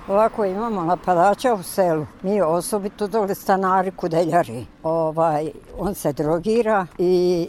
Ovako imamo napadača u selu. Mi osobito dole stanari kudeljari. On se drogira i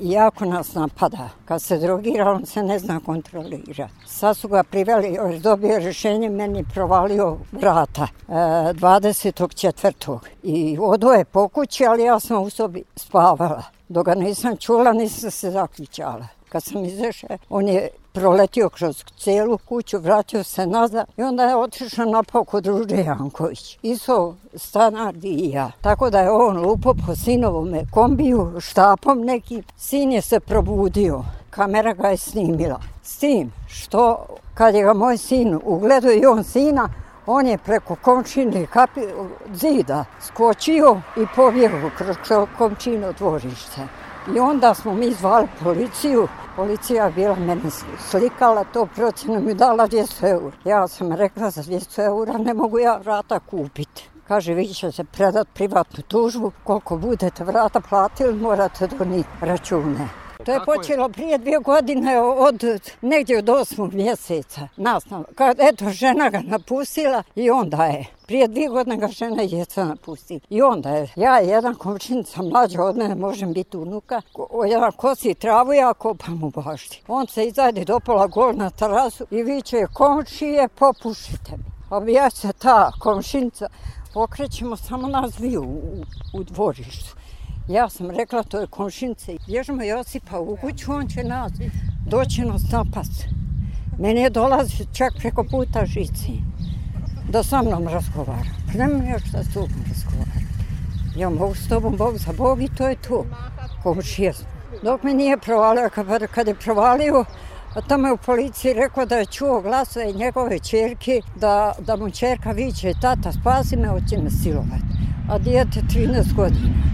jako nas napada. Kad se drogira, on se ne zna kontrolirati. Sad su ga priveli, još dobio rješenje, meni provalio vrata 24. I odo je po kući, ali ja sam u sobi spavala. Dok ga nisam čula, nisam se zaključala. Kad sam izašla, on je proletio kroz cijelu kuću, vratio se nazad i onda je otišao napao kod Ruže Janković. Iso stanar i ja. Tako da je on lupo po sinovome kombiju, štapom neki. Sin je se probudio. Kamera ga je snimila. S tim što kad je ga moj sin ugledao i on sina, on je preko komšine zida skočio i pobjegao kroz komšino dvorište. I onda smo mi zvali policiju. Policija je bila mene slikala, to procjenu mi dala 200 eura. Ja sam rekla za 200 eura ne mogu ja vrata kupiti. Kaže, vi ćete predati privatnu tužbu, koliko budete vrata platili morate donijeti račune. To je počelo prije 2 godine negdje od 8. mjeseca. Eto, žena ga napustila i onda je. Prije 2 godine ga žena i djeca napustila. I onda je. Ja i jedan komšinica mlađa od mene, možem biti unuka, jedan kosi travu, ja kopam u bašti. On se izajde do pola gol na terasu i viče, komšije, popušite mi. A ja se ta komšinica okrećemo samo nas dviju u dvorištu. Ja sam rekla, to je komšinica. Bježimo Josipa u kuću, on će nas doći nas napast. Meni je dolazi čak preko puta žici da sa mnom razgovara. Nemam još šta s tobom razgovara. Ja mogu s tobom Bog za Bog i to je to. Komšija. Dok me nije provalio, kad je provalio, a tamo je u policiji rekao da je čuo glasove njegove ćerke, da mu ćerka viče, tata spasi me, hoće me silovati. A dijete 13 godina.